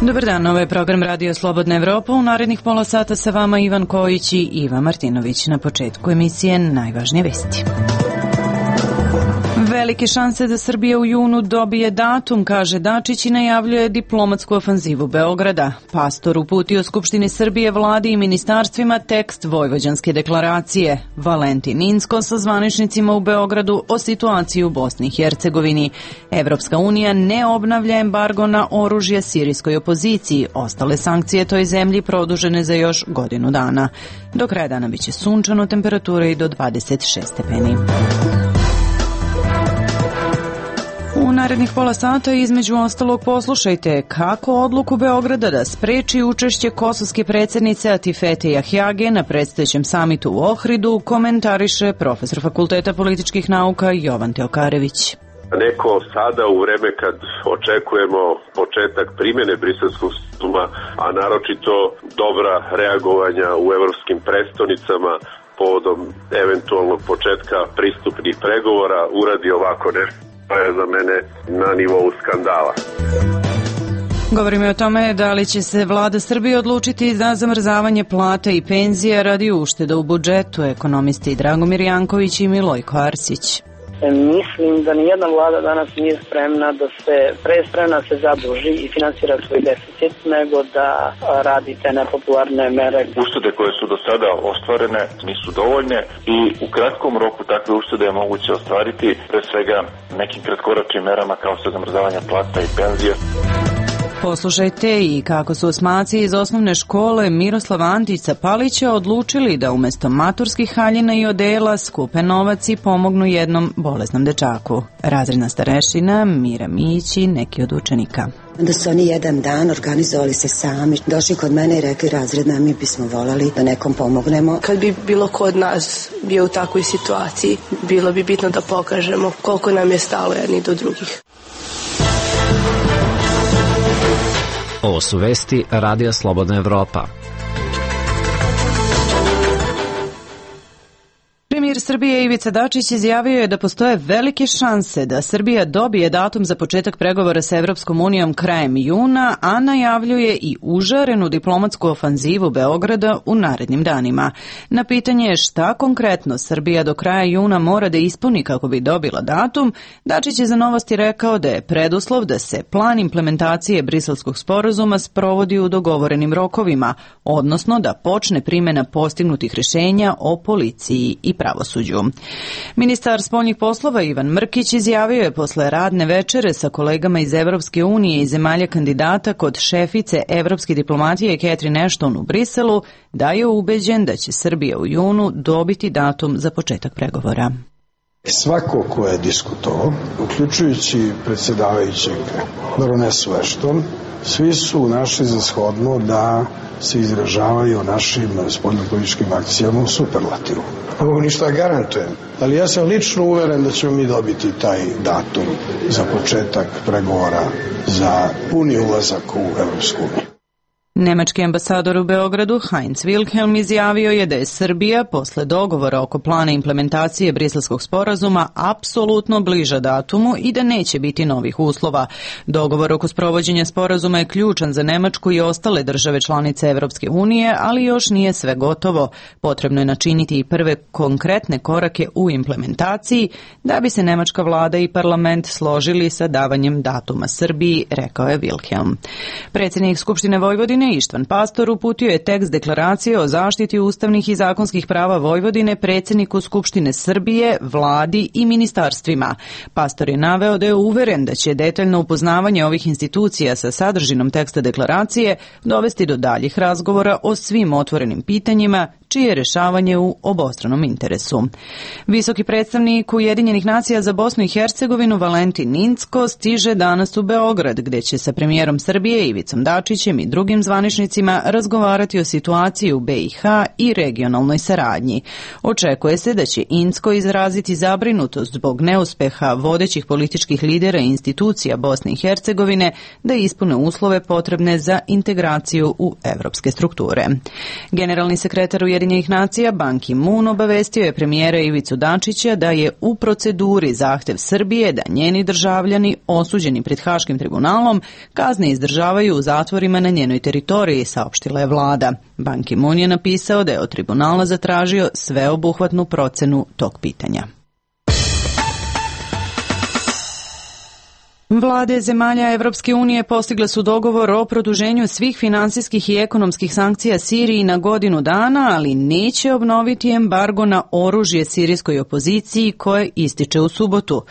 Dobar dan, ovo je program Radio Slobodna Evropa. U narednih pola sata sa vama Ivan Kojić i Iva Martinović. Na početku emisije najvažnije vesti. Velike šanse da Srbija u junu dobije datum, kaže Dačić i najavljuje diplomatsku ofanzivu Beograda. Pastor uputio Skupštini Srbije, vladi i ministarstvima tekst Vojvođanske deklaracije. Valentin Incko sa zvaničnicima u Beogradu o situaciji u Bosni i Hercegovini. Evropska unija ne obnavlja embargo na oružje sirijskoj opoziciji. Ostale sankcije toj zemlji produžene za još godinu dana. Do kraja dana biće sunčano, temperatura i do 26 stepeni. U narednih pola sata između ostalog poslušajte kako odluku Beograda da spreči učešće kosovske predsjednice Atifete Jahjage na predstojećem samitu u Ohridu komentariše profesor Fakulteta političkih nauka Jovan Teokarević. Neko sada u vreme kad očekujemo početak primjene Briselskog sporazuma, a naročito dobra reagovanja u evropskim prestonicama povodom eventualnog početka pristupnih pregovora, uradi ovako nešto. To je za mene na nivou skandala. Govorimo o tome da li će se vlada Srbije odlučiti za zamrzavanje plata i penzija radi ušteda u budžetu, ekonomisti Dragomir Janković i Milojko Arsić. Mislim da nijedna vlada danas nije spremna da se zaduži i finansira svoj deficit, nego da radi te nepopularne mere. Uštede koje su do sada ostvarene nisu dovoljne i u kratkom roku takve uštede je moguće ostvariti pre svega nekim kratkoročnim merama kao što je zamrzavanje plata i penzija. Poslušajte i kako su osmaci iz osnovne škole Miroslava Antića Palića odlučili da umjesto maturskih haljina i odela skupe novac i pomognu jednom bolesnom dečaku. Razredna starešina Mira Mijić i neki od učenika. Onda su oni jedan dan organizovali se sami, došli kod mene i rekli razredna, mi bismo volali da nekom pomognemo. Kad bi bilo ko od nas bio u takvoj situaciji, bilo bi bitno da pokažemo koliko nam je stalo jedni do drugih. Ovo su vesti Radija Slobodna Evropa. Premijer Srbije Ivica Dačić izjavio je da postoje velike šanse da Srbija dobije datum za početak pregovora sa Evropskom unijom krajem juna, a najavljuje i užarenu diplomatsku ofanzivu Beograda u narednim danima. Na pitanje šta konkretno Srbija do kraja juna mora da ispuni kako bi dobila datum, Dačić je za Novosti rekao da je preduslov da se plan implementacije Briselskog sporazuma sprovodi u dogovorenim rokovima, odnosno da počne primjena postignutih rješenja o policiji i pravosuđu. Ministar spoljnih poslova Ivan Mrkić izjavio je posle radne večere sa kolegama iz Evropske unije i zemalja kandidata kod šefice evropske diplomatije Catherine Ashton u Briselu da je ubeđen da će Srbija u junu dobiti datum za početak pregovora. Svako ko je diskutovao, uključujući predsjedavajućeg baronesu Ashton, svi su našli za shodno da se izražavaju o našim spoljnopolitičkim akcijama u superlativu. Ovo ništa garantujem, ali ja sam lično uveren da ćemo mi dobiti taj datum za početak pregovora za puni ulazak u Evropsku uniju. Nemački ambasador u Beogradu Heinz Wilhelm izjavio je da je Srbija posle dogovora oko plana implementacije Briselskog sporazuma apsolutno bliža datumu i da neće biti novih uslova. Dogovor oko sprovođenja sporazuma je ključan za Nemačku i ostale države članice Evropske unije, ali još nije sve gotovo. Potrebno je načiniti i prve konkretne korake u implementaciji da bi se nemačka vlada i parlament složili sa davanjem datuma Srbiji, rekao je Wilhelm. Predsjednik Skupštine Vojvodine Ištvan Pastor uputio je tekst deklaracije o zaštiti ustavnih i zakonskih prava Vojvodine predsjedniku Skupštine Srbije, vladi i ministarstvima. Pastor je naveo da je uveren da će detaljno upoznavanje ovih institucija sa sadržinom teksta deklaracije dovesti do daljih razgovora o svim otvorenim pitanjima čije je rješavanje u obostranom interesu. Visoki predstavnik Ujedinjenih nacija za Bosnu i Hercegovinu Valentin Incko stiže danas u Beograd, gdje će sa premijerom Srbije Ivicom Dačićem i drugim zvaničnicima razgovarati o situaciji u BiH i regionalnoj saradnji. Očekuje se da će Incko izraziti zabrinutost zbog neuspeha vodećih političkih lidera i institucija Bosne i Hercegovine da ispune uslove potrebne za integraciju u evropske strukture. Generalni sekretar Ujedinjenih Ujedinjenih nacija Ban Ki-moon obavestio je premijera Ivicu Dačića da je u proceduri zahtev Srbije da njeni državljani osuđeni pred Haškim tribunalom kazne izdržavaju u zatvorima na njenoj teritoriji, saopštila je vlada. Ban Ki-moon je napisao da je od tribunala zatražio sveobuhvatnu procenu tog pitanja. Vlade zemalja Evropske unije postigle su dogovor o produženju svih finansijskih i ekonomskih sankcija Siriji na godinu dana, ali neće obnoviti embargo na oružje sirijskoj opoziciji koje ističe u subotu.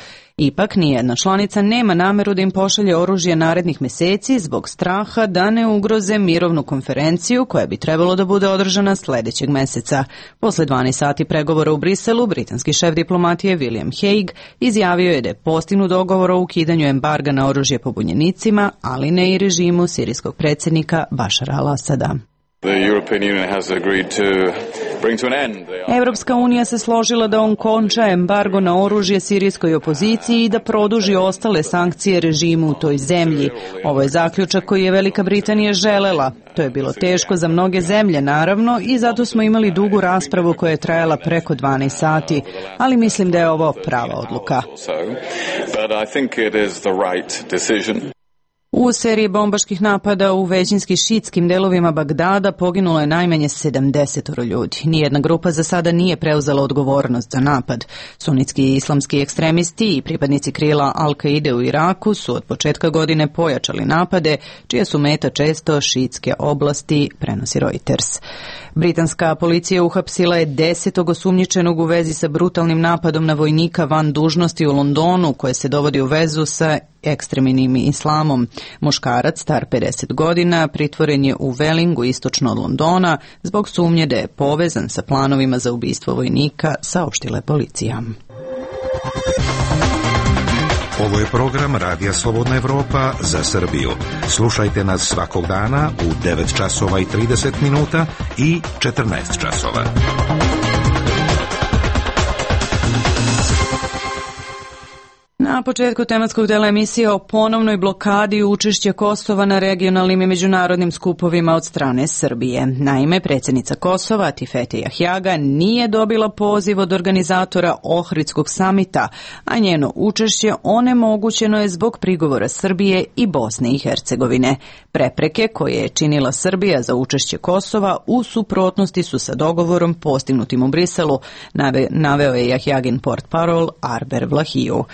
Ipak nijedna članica nema nameru da im pošalje oružje narednih meseci zbog straha da ne ugroze mirovnu konferenciju koja bi trebalo da bude održana sledećeg meseca. Posle 12 sati pregovora u Briselu, britanski šef diplomatije William Hague izjavio je da je postignut dogovor o ukidanju embarga na oružje pobunjenicima, ali ne i režimu sirijskog predsjednika Bašara al-Asada. Evropska unija se složila da on konča embargo na oružje sirijskoj opoziciji i da produži ostale sankcije režimu u toj zemlji. Ovo je zaključak koji je Velika Britanija želela. To je bilo teško za mnoge zemlje, naravno, i zato smo imali dugu raspravu koja je trajala preko 12 sati, ali mislim da je ovo prava odluka. U seriji bombaških napada u većinski šiitskim delovima Bagdada poginulo je najmanje 70 ljudi. Nijedna grupa za sada nije preuzela odgovornost za napad. Sunitski i islamski ekstremisti i pripadnici krila Al-Kaide u Iraku su od početka godine pojačali napade, čija su meta često šiitske oblasti, prenosi Reuters. Britanska policija uhapsila je 10. osumnjičenog u vezi sa brutalnim napadom na vojnika van dužnosti u Londonu, koje se dovodi u vezu sa ekstremnim islamom. Muškarac, star 50 godina, pritvoren je u Wellingu istočno od Londona zbog sumnje da je povezan sa planovima za ubistvo vojnika, saopštila je policija. Ovo je program Radija Slobodna Evropa za Srbiju. Slušajte nas svakog dana u 9 časova i 30 minuta i 14 časova. Na početku tematskog dela emisije o ponovnoj blokadi učešća Kosova na regionalnim i međunarodnim skupovima od strane Srbije. Naime, predsjednica Kosova, Tifete Jahjaga, nije dobila poziv od organizatora Ohridskog samita, a njeno učešće onemogućeno je zbog prigovora Srbije i Bosne i Hercegovine. Prepreke koje je činila Srbija za učešće Kosova u suprotnosti su sa dogovorom postignutim u Briselu, naveo je Jahjagin portparol Arber Vlahiju.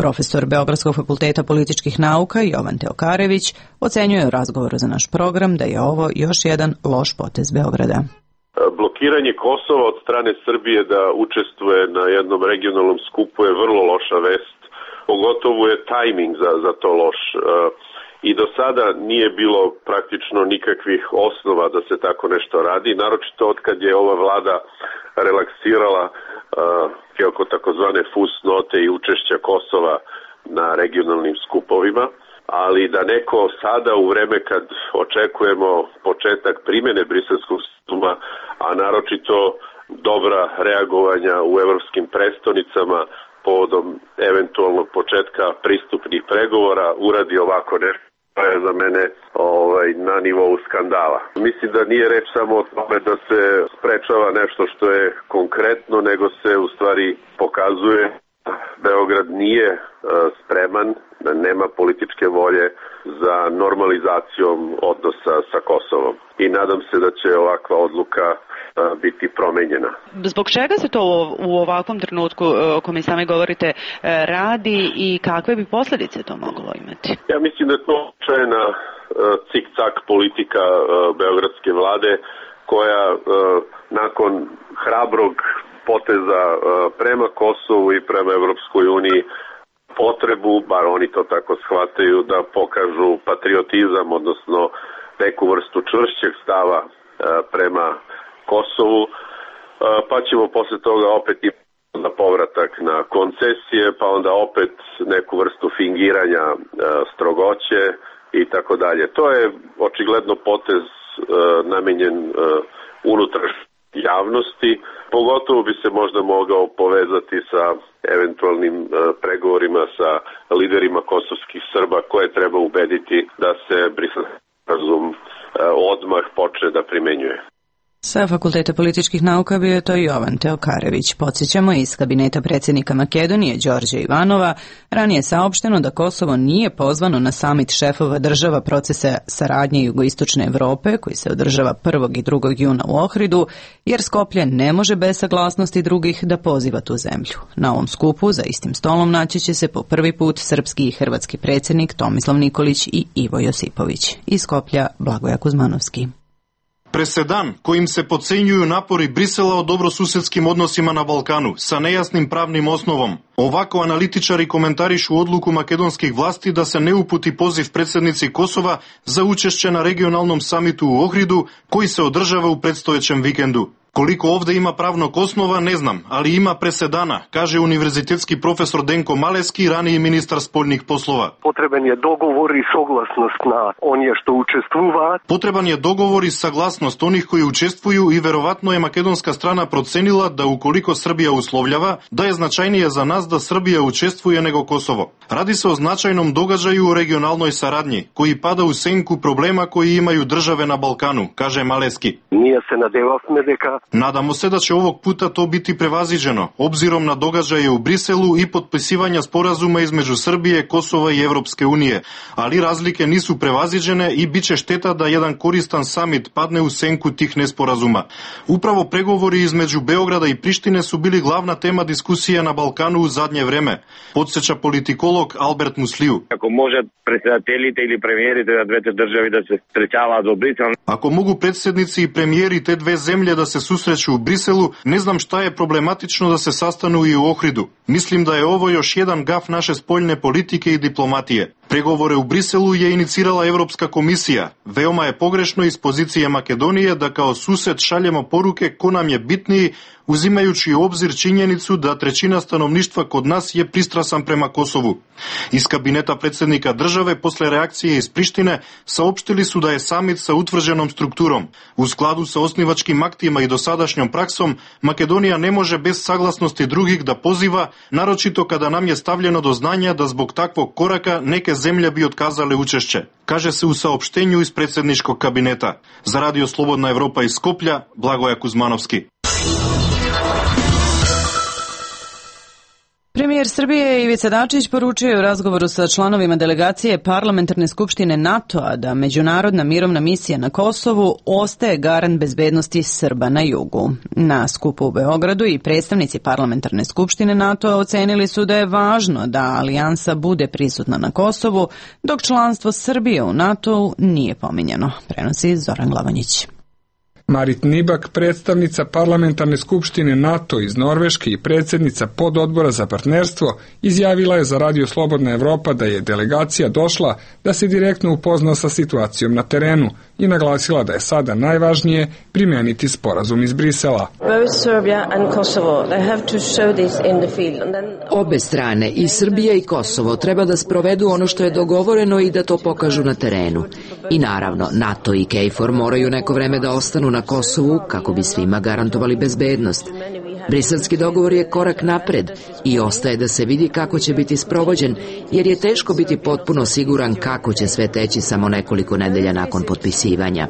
Profesor Beogradskog fakulteta političkih nauka Jovan Teokarević ocenjuje u razgovoru za naš program da je ovo još jedan loš potez Beograda. Blokiranje Kosova od strane Srbije da učestvuje na jednom regionalnom skupu je vrlo loša vest. Pogotovo je tajming za to loš. I do sada nije bilo praktično nikakvih osnova da se tako nešto radi, naročito od kad je ova vlada relaksirala oko takozvane fusnote i učešća Kosova na regionalnim skupovima, ali da neko sada u vreme kad očekujemo početak primjene Briselskog sporazuma, a naročito dobra reagovanja u evropskim prestonicama povodom eventualnog početka pristupnih pregovora, uradi ovako nešto. To je za mene na nivou skandala. Mislim da nije reč samo o tome da se sprečava nešto što je konkretno, nego se u stvari pokazuje Beograd nije spreman, da nema političke volje za normalizacijom odnosa sa Kosovom. I nadam se da će ovakva odluka biti promenjena. Zbog čega se to u ovakvom trenutku, o kome sami govorite, radi i kakve bi posljedice to moglo imati? Ja mislim da je to očajna cik-cak politika beogradske vlade koja nakon hrabrog poteza prema Kosovu i prema Evropskoj uniji potrebu, bar oni to tako shvataju, da pokažu patriotizam, odnosno neku vrstu čvršćeg stava prema Kosovu, pa ćemo posle toga opet i na povratak na koncesije, pa onda opet neku vrstu fingiranja strogoće i tako dalje. To je očigledno potez namenjen unutrašnjoj javnosti, pogotovo bi se možda mogao povezati sa eventualnim pregovorima sa liderima kosovskih Srba koje treba ubediti da se Briselski sporazum odmah počne da primenjuje. Sa Fakulteta političkih nauka bio je to Jovan Teokarević. Podsjećamo, iz kabineta predsjednika Makedonije Đorđa Ivanova ranije saopšteno da Kosovo nije pozvano na samit šefova država procesa saradnje jugoistočne Evrope koji se održava 1. i 2. juna u Ohridu, jer Skoplje ne može bez saglasnosti drugih da poziva tu zemlju. Na ovom skupu za istim stolom naći će se po prvi put srpski i hrvatski predsjednik Tomislav Nikolić i Ivo Josipović. Iz Skoplja Blagoja Kuzmanovski. Presedan kojim se podcenjuju napori Brisela o dobrosusedskim odnosima na Balkanu sa nejasnim pravnim osnovom. Ovako analitičari komentarišu odluku makedonskih vlasti da se ne uputi poziv predsjednici Kosova za učešće na regionalnom samitu u Ohridu koji se održava u predstojećem vikendu. Koliko ovdje ima pravnog osnova, ne znam, ali ima presedana, kaže univerzitetski profesor Denko Maleski, raniji ministar spoljnih poslova. Potreban je dogovor i saglasnost na onje što učestvuva. Potreban je dogovor i saglasnost onih koji učestvuju i verovatno je makedonska strana procenila da ukoliko Srbija uslovljava, da je značajnije za nas da Srbija učestvuje nego Kosovo. Radi se o značajnom događaju u regionalnoj saradnji, koji pada u senku problema koji imaju države na Balkanu, kaže Maleski. Nije se nadevavme deka. Nadamo se da će ovog puta to biti prevaziđeno, obzirom na događaje u Briselu i potpisivanja sporazuma između Srbije, Kosova i Evropske unije, ali razlike nisu prevaziđene i bit će šteta da jedan koristan samit padne u senku tih nesporazuma. Upravo pregovori između Beograda i Prištine su bili glavna tema diskusije na Balkanu u zadnje vreme, podsjeća politikolog Albert Musliju. Ako može predsjedateljite ili premijerite da dvete državi da se srećava do Brisela. Ako mogu predsjednici i premijeri te dve zemlje da se susreću u Briselu, ne znam šta je problematično da se sastanu i u Ohridu. Mislim da je ovo još jedan gaf naše spoljne politike i diplomatije. Pregovore u Briselu je inicirala Evropska komisija. Veoma je pogrešno iz pozicije Makedonije da kao sused šaljemo poruke ko nam je bitniji, uzimajući u obzir činjenicu da trećina stanovništva kod nas je pristrasan prema Kosovu. Iz kabineta predsjednika države posle reakcije iz Prištine saopštili su da je samit sa utvrđenom strukturom. U skladu sa osnivačkim aktima i dosadašnjom praksom, Makedonija ne može bez saglasnosti drugih da poziva, naročito kada nam je stavljeno do znanja da zbog takvog koraka neke zemlje bi otkazale učešće, kaže se u saopštenju iz predsjedničkog kabineta. Za Radio Slobodna Evropa iz Skoplja, Blagoja Kuzmanovski. Premijer Srbije Ivica Dačić poručio je u razgovoru sa članovima delegacije Parlamentarne skupštine NATO-a da međunarodna mirovna misija na Kosovu ostaje garant bezbednosti Srba na jugu. Na skupu u Beogradu i predstavnici Parlamentarne skupštine NATO-a ocenili su da je važno da alijansa bude prisutna na Kosovu, dok članstvo Srbije u NATO-u nije pominjano, prenosi Zoran Glavanjić. Marit Nibak, predstavnica Parlamentarne skupštine NATO iz Norveške i predsjednica pododbora za partnerstvo, izjavila je za Radio Slobodna Evropa da je delegacija došla da se direktno upozna sa situacijom na terenu i naglasila da je sada najvažnije primeniti sporazum iz Brisela. Obe strane, i Srbija i Kosovo, treba da sprovedu ono što je dogovoreno i da to pokažu na terenu. I naravno, NATO i KFOR moraju neko vreme da ostanu na Kosovu kako bi svima garantovali bezbednost. Briselski dogovor je korak napred i ostaje da se vidi kako će biti sprovođen, jer je teško biti potpuno siguran kako će sve teći samo nekoliko nedelja nakon potpisivanja.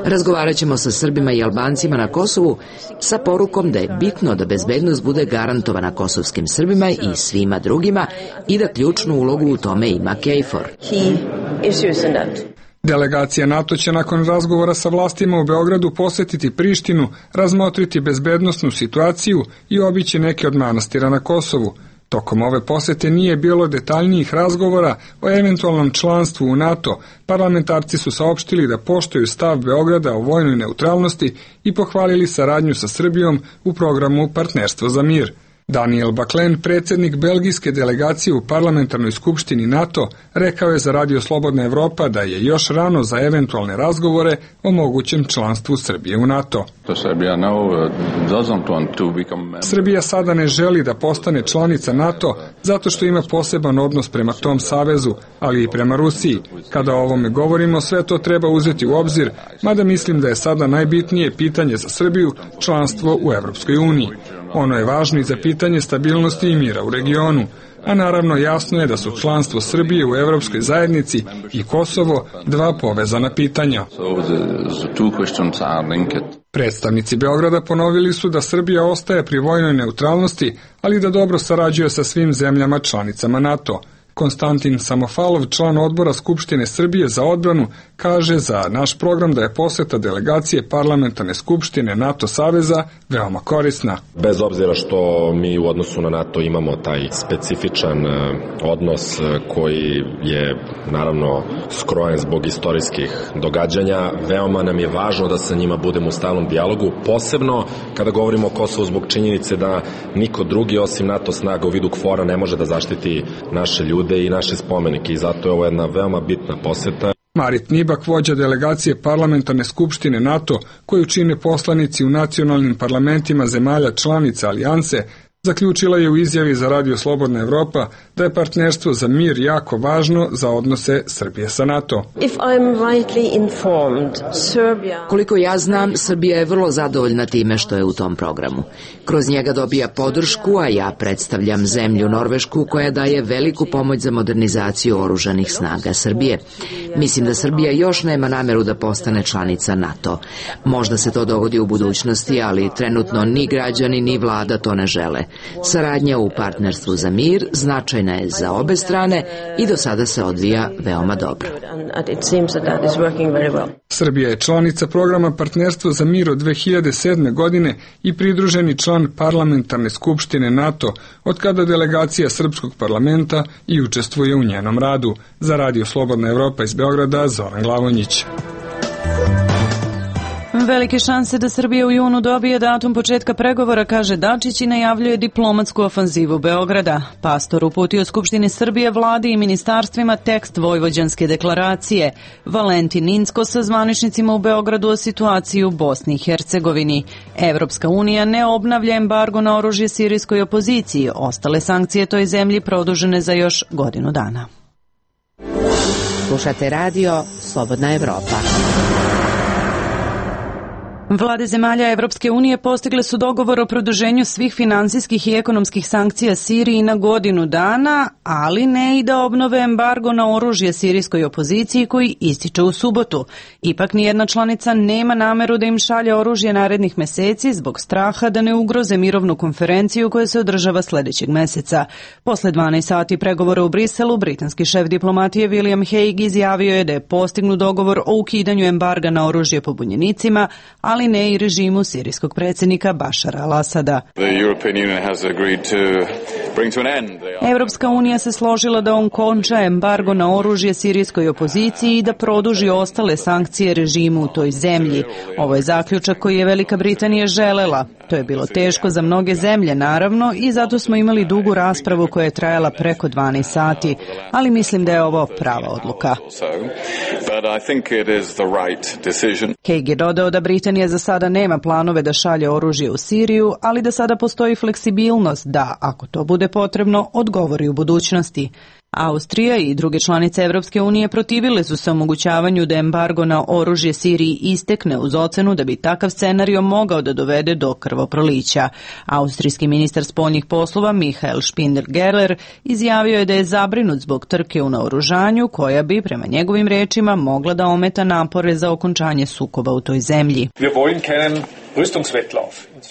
Razgovarat ćemo sa Srbima i Albancima na Kosovu sa porukom da je bitno da bezbednost bude garantovana kosovskim Srbima i svima drugima i da ključnu ulogu u tome ima KFOR. Delegacija NATO će nakon razgovora sa vlastima u Beogradu posjetiti Prištinu, razmotriti bezbednosnu situaciju i obići neke od manastira na Kosovu. Tokom ove posjete nije bilo detaljnijih razgovora o eventualnom članstvu u NATO. Parlamentarci su saopštili da poštuju stav Beograda o vojnoj neutralnosti i pohvalili saradnju sa Srbijom u programu Partnerstvo za mir. Daniel Baklen, predsjednik belgijske delegacije u Parlamentarnoj skupštini NATO, rekao je za Radio Slobodna Evropa da je još rano za eventualne razgovore o mogućem članstvu Srbije u NATO. Srbija sada ne želi da postane članica NATO zato što ima poseban odnos prema tom savezu, ali i prema Rusiji. Kada o ovome govorimo, sve to treba uzeti u obzir, mada mislim da je sada najbitnije pitanje za Srbiju članstvo u Evropskoj uniji. Ono je važno i za pitanje stabilnosti i mira u regionu, a naravno jasno je da su članstvo Srbije u Evropskoj zajednici i Kosovo dva povezana pitanja. Predstavnici Beograda ponovili su da Srbija ostaje pri vojnoj neutralnosti, ali da dobro sarađuje sa svim zemljama članicama NATO. Konstantin Samofalov, član odbora Skupštine Srbije za odbranu, kaže za naš program da je poseta delegacije parlamentarne skupštine NATO saveza veoma korisna. Bez obzira što mi u odnosu na NATO imamo taj specifičan odnos koji je naravno skrojen zbog istorijskih događanja, veoma nam je važno da sa njima budemo u stalnom dijalogu, posebno kada govorimo o Kosovu zbog činjenice da niko drugi osim NATO snaga u vidu KFOR-a ne može da zaštiti naše ljude i naše spomenike i zato je ovo jedna veoma bitna poseta. Marit Nibak, vođa delegacije parlamentarne skupštine NATO, koju čine poslanici u nacionalnim parlamentima zemalja članica alijanse, zaključila je u izjavi za Radio Slobodna Evropa da je partnerstvo za mir jako važno za odnose Srbije sa NATO. Koliko ja znam, Srbija je vrlo zadovoljna time što je u tom programu. Kroz njega dobija podršku, a ja predstavljam zemlju Norvešku koja daje veliku pomoć za modernizaciju oružanih snaga Srbije. Mislim da Srbija još nema nameru da postane članica NATO. Možda se to dogodi u budućnosti, ali trenutno ni građani ni vlada to ne žele. Saradnja u partnerstvu za mir značajna je za obe strane i do sada se odvija veoma dobro. Srbija je članica programa Partnerstvo za mir od 2007. godine i pridruženi član parlamentarne skupštine NATO, od kada delegacija Srpskog parlamenta i učestvuje u njenom radu. Za Radio Slobodna Evropa iz Beograda, Zoran Glavonjić. Velike šanse da Srbija u junu dobije datum početka pregovora, kaže Dačić i najavljuje diplomatsku ofanzivu Beograda. Pastor uputio Skupštini Srbije, vladi i ministarstvima tekst Vojvođanske deklaracije. Valentin Incko sa zvaničnicima u Beogradu o situaciji u Bosni i Hercegovini. Evropska unija ne obnavlja embargo na oružje sirijskoj opoziciji. Ostale sankcije toj zemlji produžene za još godinu dana. Slušate radio Slobodna Evropa. Vlade zemalja Evropske unije postigle su dogovor o produženju svih finansijskih i ekonomskih sankcija Siriji na godinu dana, ali ne i da obnove embargo na oružje sirijskoj opoziciji koji ističe u subotu. Ipak nijedna članica nema nameru da im šalje oružje narednih meseci zbog straha da ne ugroze mirovnu konferenciju koja se održava sljedećeg meseca. Posle 12 sati pregovora u Briselu, britanski šef diplomatije William Hague izjavio je da je postignut dogovor o ukidanju embarga na oružje pobunjenicima, ali ne i režimu sirijskog predsjednika Bašara al-Asada. Evropska unija se složila da on konča embargo na oružje sirijskoj opoziciji i da produži ostale sankcije režimu u toj zemlji. Ovo je zaključak koji je Velika Britanija želela. To je bilo teško za mnoge zemlje, naravno, i zato smo imali dugu raspravu koja je trajala preko 12 sati, ali mislim da je ovo prava odluka. Hague je dodao da Britanija za sada nema planove da šalje oružje u Siriju, ali da sada postoji fleksibilnost da, ako to bude potrebno, odgovori u budućnosti. Austrija i druge članice Evropske unije protivile su se omogućavanju da embargo na oružje Siriji istekne uz ocenu da bi takav scenario mogao da dovede do krvoprolića. Austrijski ministar spoljnih poslova Michael Spindler-Gerler izjavio je da je zabrinut zbog trke u naoružanju koja bi, prema njegovim rečima, mogla da ometa napore za okončanje sukoba u toj zemlji.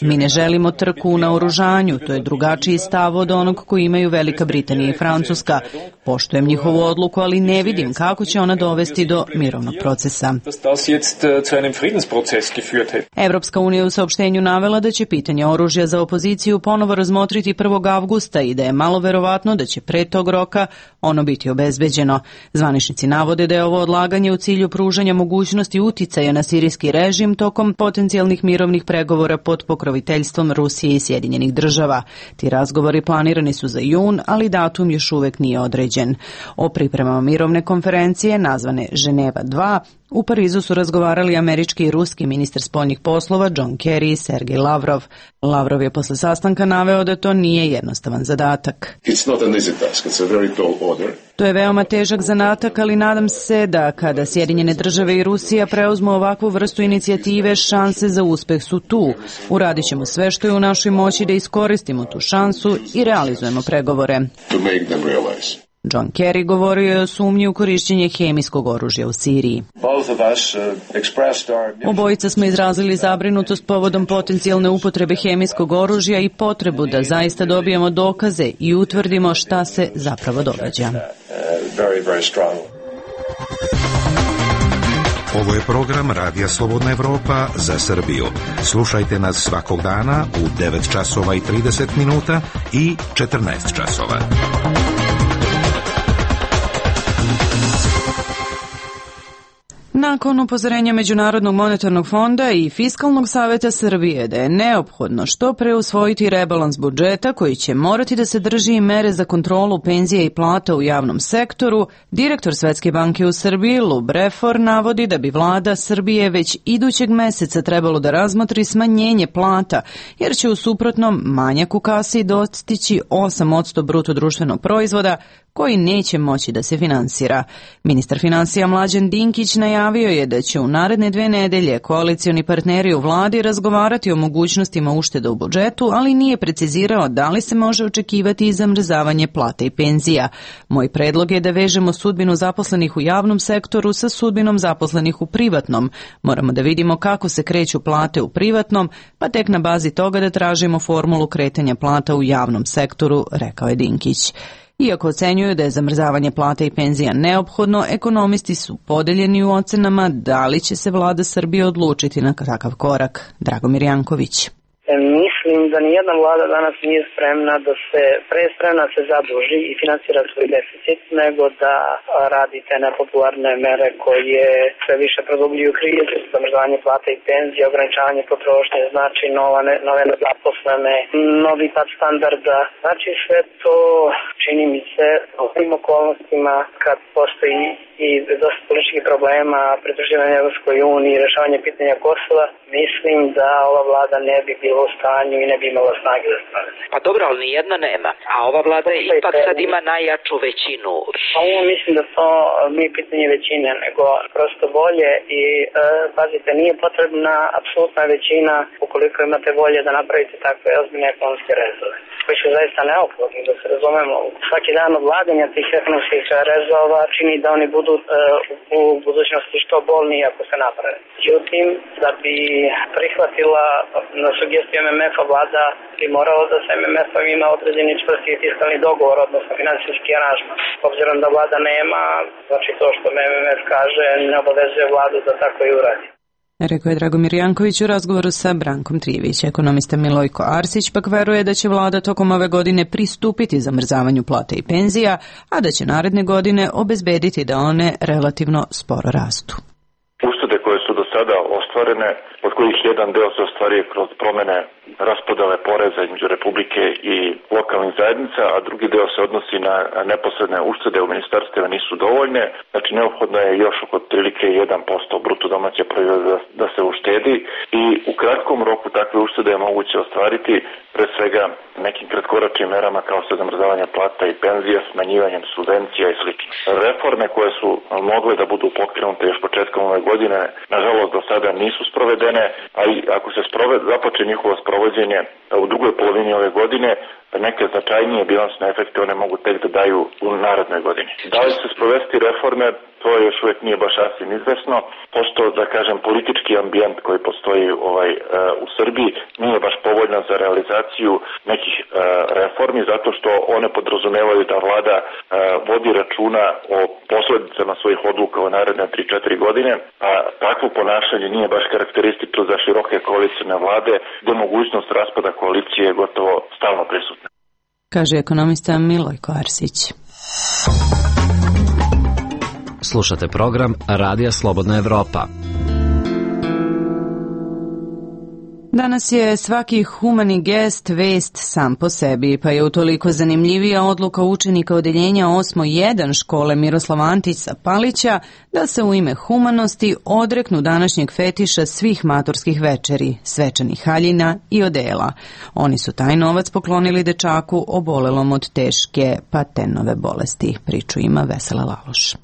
Mi ne želimo trku u naoružanju, to je drugačiji stav od onog koji imaju Velika Britanija i Francuska. Poštujem njihovu odluku, ali ne vidim kako će ona dovesti do mirovnog procesa. Evropska unija u saopštenju navela da će pitanje oružja za opoziciju ponovo razmotriti 1. avgusta i da je malo verovatno da će pre tog roka ono biti obezbeđeno. Zvaničnici navode da je ovo odlaganje u cilju pružanja mogućnosti uticaja na sirijski režim tokom potencijalnih mirovnih pregovora pod pokroviteljstvom Rusije i Sjedinjenih država. Ti razgovori planirani su za jun, ali datum još uvek nije određen. O pripremama mirovne konferencije, nazvane Ženeva 2, u Parizu su razgovarali američki i ruski ministar spoljnih poslova John Kerry i Sergej Lavrov. Lavrov je posle sastanka naveo da to nije jednostavan zadatak. To je veoma težak zadatak, ali nadam se da kada Sjedinjene države i Rusija preuzmu ovakvu vrstu inicijative, šanse za uspeh su tu. Uradit ćemo sve što je u našoj moći da iskoristimo tu šansu i realizujemo pregovore. John Kerry govorio je o sumnji u korišćenje hemijskog oružja u Siriji. Obojica smo izrazili zabrinutost povodom potencijalne upotrebe hemijskog oružja i potrebu da zaista dobijemo dokaze i utvrdimo šta se zapravo događa. Ovo je program Radija Slobodna Evropa za Srbiju. Slušajte nas svakog dana u 9 časova i 30 minuta i 14 časova. Nakon upozorenja Međunarodnog monetarnog fonda i Fiskalnog saveta Srbije da je neophodno što pre usvojiti rebalans budžeta koji će morati da sadrži i mere za kontrolu penzija i plata u javnom sektoru, direktor Svetske banke u Srbiji Lou Breford navodi da bi vlada Srbije već idućeg meseca trebalo da razmotri smanjenje plata, jer će u suprotnom manjak u kasi dostići 8% bruto društvenog proizvoda, koji neće moći da se finansira. Ministar finansija Mlađan Dinkić najavio je da će u naredne 2 nedelje koalicioni partneri u vladi razgovarati o mogućnostima ušteda u budžetu, ali nije precizirao da li se može očekivati i zamrzavanje plata i penzija. Moj predlog je da vežemo sudbinu zaposlenih u javnom sektoru sa sudbinom zaposlenih u privatnom. Moramo da vidimo kako se kreću plate u privatnom, pa tek na bazi toga da tražimo formulu kretanja plata u javnom sektoru, rekao je Dinkić. Iako ocenjuju da je zamrzavanje plata i penzija neophodno, ekonomisti su podeljeni u ocenama da li će se vlada Srbije odlučiti na takav korak. Dragomir Janković. Mislim da nijedna vlada danas nije spremna da se se zaduži i finansira svoj deficit, nego da radi te nepopularne mere koje sve više produbljuju krizu, zamrzavanje plata i penzija, ograničavanje potrošnje, znači nove nezaposlene, novi pad standarda. Znači sve to čini mi se u ovim okolnostima kad postoji i dosta političkih problema, pridruživanje Evropskoj uniji, rešavanje pitanja Kosova, mislim da ova vlada ne bi bila u stanju i ne bi imala snage da stane. Pa dobro, ali nijedna nema. A ova vlada ipak sad ima najjaču većinu. Ovo mislim da to nije pitanje većine, nego prosto volje i pazite, nije potrebna apsolutna većina ukoliko imate volje da napravite takve ozbiljne ekonomske rezove, koji su zaista neophodni, da se razumemo. Svaki dan odlaganja tih ekonomskih rezova čini da oni budu u budućnosti što bolniji ako se naprave. Međutim, da bi prihvatila na sugestiju MMF-a vlada bi moralo da se MMF-om ima određeni čvrsti fiskalni dogovor, odnosno finansijski aranžman. Obzirom da vlada nema, znači to što MMF kaže ne obavezuje vladu da tako i uradi. Rekao je Dragomir Janković u razgovoru sa Brankom Trijević. Ekonomista Milojko Arsić pak veruje da će vlada tokom ove godine pristupiti zamrzavanju plata i penzija, a da će naredne godine obezbediti da one relativno sporo rastu. Uštede koje su do sada ostvarene, od kojih jedan deo se ostvaruje kroz promene raspodele poreza između Republike i lokalnih zajednica, a drugi deo se odnosi na neposredne uštede u ministarstvima nisu dovoljne. Znači neophodno je još oko otprilike 1% bruto domaće proizvoda da se uštedi i u kratkom roku takve uštede je moguće ostvariti pre svega nekim kratkoročnim merama kao što je zamrzavanje plata i penzija, smanjivanjem subvencija i sl. Reforme koje su mogle da budu pokrenute još početkom ove godine, nažalost do sada nisu sprovedene, a i ako se započne njihovo sprovođenje u drugoj polovini ove godine, neke značajnije bilansne efekte one mogu tek da daju u narednoj godini. Da li se sprovesti reforme, to još uvijek nije baš sasvim izvesno, pošto, da kažem, politički ambijent koji postoji u Srbiji nije baš povoljan za realizaciju nekih reformi, zato što one podrazumevaju da vlada vodi računa o posledicama svojih odluka u naredne 3-4 godine, a takvo ponašanje nije baš karakteristično za široke koalicijne vlade, gde mogućnost raspada koalicije je gotovo stalno prisutna. Kaže ekonomista Milojko Arsić. Slušate program Radija Slobodna Evropa. Danas je svaki humani gest vest sam po sebi, pa je utoliko zanimljivija odluka učenika odeljenja 8.1 škole Miroslava Antića Palića da se u ime humanosti odreknu današnjeg fetiša svih maturskih večeri, svečanih haljina i odela. Oni su taj novac poklonili dečaku obolelom od teške Patenove bolesti. Priču ima Vesela Laloš.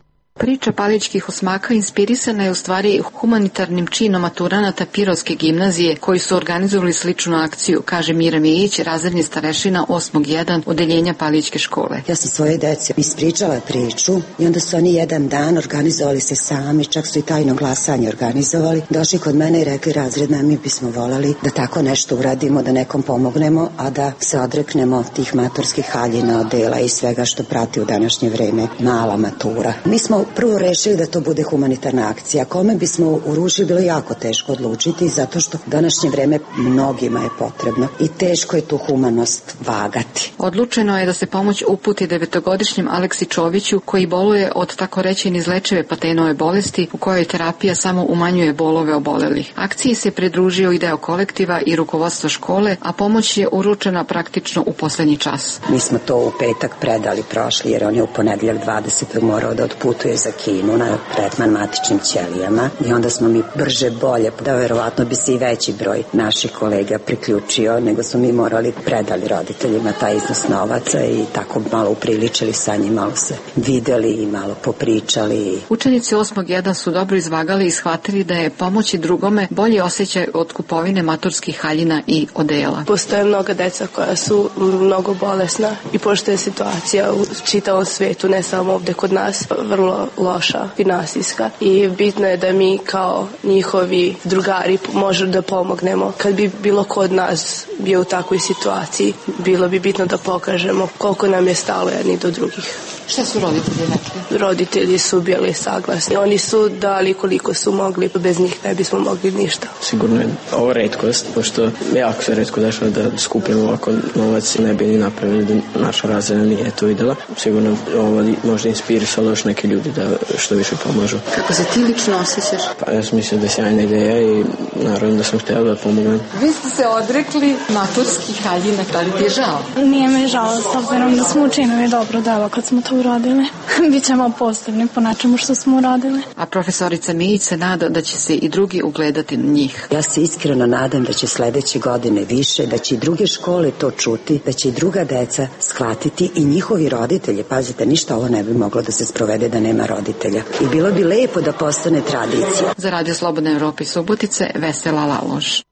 Priča palićkih osmaka inspirisana je u stvari humanitarnim činom maturanata Pirotske gimnazije koji su organizovali sličnu akciju, kaže Mira Mijić, razredni starešina 8.1 odeljenja Palićke škole. Ja sam svoje deci ispričala priču i onda su oni jedan dan organizovali se sami, čak su i tajno glasanje organizovali. Došli kod mene i rekli, razredna, mi bismo volali da tako nešto uradimo, da nekom pomognemo, a da se odreknemo tih maturskih haljina, odela i svega što prati u današnje vreme mala matura. Mi smo prvo rešili da to bude humanitarna akcija. Kome bismo urušili bilo jako teško odlučiti, zato što u današnje vreme mnogima je potrebno i teško je tu humanost vagati. Odlučeno je da se pomoć uputi 9-godišnjem Aleksi Čoviću koji boluje od tako reći neizlečive Patenove bolesti u kojoj terapija samo umanjuje bolove obolelih. Akciji se pridružio i deo kolektiva i rukovodstvo škole, a pomoć je uručena praktično u poslednji čas. Mi smo to u petak predali prošli jer on je u ponedeljak 20. morao da otputuje za Kinu na tretman matičnim ćelijama i onda smo mi brže bolje, da verovatno bi se i veći broj naših kolega priključio, nego smo mi morali predali roditeljima taj iznos novaca i tako malo upriličili sa njim, malo se videli i malo popričali. Učenici 8.1 su dobro izvagali i shvatili da je pomoći drugome bolji osjećaj od kupovine maturskih haljina i odela. Postoje mnoga deca koja su mnogo bolesna i pošto je situacija u čitavom svetu, ne samo ovde kod nas, vrlo loša, finansijska i bitno je da mi kao njihovi drugari možemo da pomognemo. Kad bi bilo ko od nas bio u takvoj situaciji, bilo bi bitno da pokažemo koliko nam je stalo jedni do drugih. Šta su roditelji rekli? Roditelji su bili saglasni. Oni su dali koliko su mogli, bez njih ne bismo mogli ništa. Sigurno je ovo retkost, pošto jako se retko dešava da skupimo ovako novac i ne bi ni napravili da naša razreda nije to videla. Sigurno ovo možda inspirisalo još neke ljudi da što više pomažu. Kako se ti lično osjećaš? Pa ja sam mislio da je sjajna ideja i naravno da sam htjela da pomognem. Vi ste se odrekli maturskih haljina, da li ti je žao? Nije me žao, s obzirom da smo učinili dobro delo kad smo to uradili. Bićemo posebni po nečemu što smo uradili. A profesorica Mijić se nada da će se i drugi ugledati na njih. Ja se iskreno nadam da će sledeće godine više, da će i druge škole to čuti, da će i druga deca shvatiti i njihovi roditelji. Pazite, ništa ovo ne bi moglo da se sprovede da nema roditelja. I bilo bi lepo da postane tradicija. Za Radio Slobodna Evropa i Subotice, Vesela Laloš.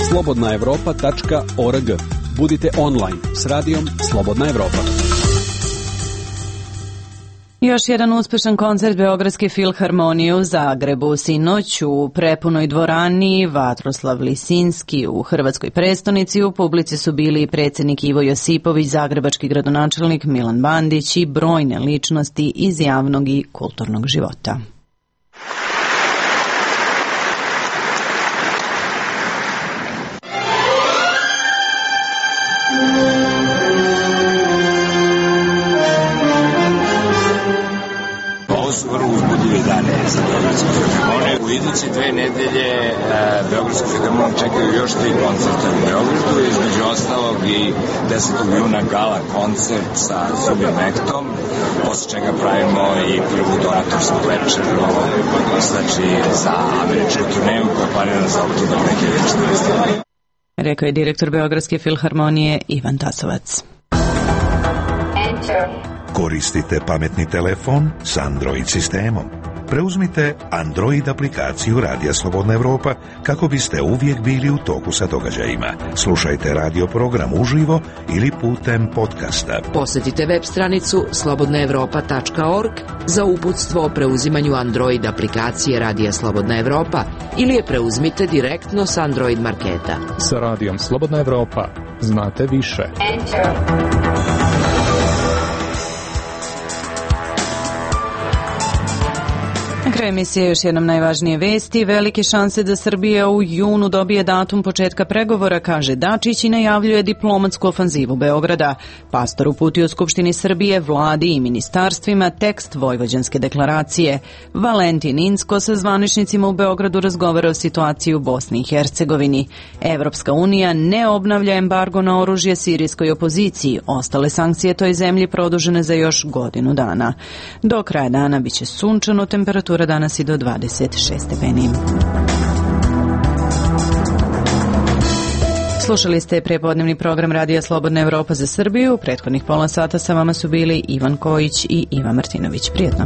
slobodnaevropa.org. Budite online s radijom Slobodna Evropa. Još jedan uspešan koncert Beogradske filharmonije u Zagrebu. Sinoć u prepunoj dvorani Vatroslav Lisinski u Hrvatskoj prestonici. U publici su bili predsjednik Ivo Josipović, zagrebački gradonačelnik Milan Bandić i brojne ličnosti iz javnog i kulturnog života. U iduće 2 nedelje Beogradsku filharmoniju čekaju još 3 koncerta u Beogradu, između ostalog i 10. juna gala koncert sa Zubim Mehtom, posle čega pravimo i prvu donatorsku večeru, znači za američku turneju koja je planirana za oktobar 2014. Rekao je direktor Beogradske filharmonije Ivan Tasovac. Koristite pametni telefon s Android sistemom. Preuzmite Android aplikaciju Radija Slobodna Evropa kako biste uvijek bili u toku sa događajima. Slušajte radio program uživo ili putem podcasta. Posjetite web stranicu slobodnaevropa.org za uputstvo o preuzimanju Android aplikacije Radija Slobodna Evropa ili je preuzmite direktno s Android marketa. Sa Radijom Slobodna Evropa znate više. Na kraju emisije još jednom najvažnije vesti. Velike šanse da Srbija u junu dobije datum početka pregovora, kaže Dačić i najavljuje diplomatsku ofanzivu Beograda. Pastor uputio Skupštini Srbije, vladi i ministarstvima tekst Vojvođanske deklaracije. Valentin Inzko sa zvaničnicima u Beogradu razgovara o situaciji u Bosni i Hercegovini. Evropska unija ne obnavlja embargo na oružje sirijskoj opoziciji. Ostale sankcije toj zemlji produžene za još godinu dana. Do kraja dana biće sunčano, temperatura danas i do 26 stepeni. Slušali ste prepodnevni program Radija Slobodna Evropa za Srbiju. U prethodnih pola sata sa vama su bili Ivan Kojić i Ivan Martinović. Prijetno.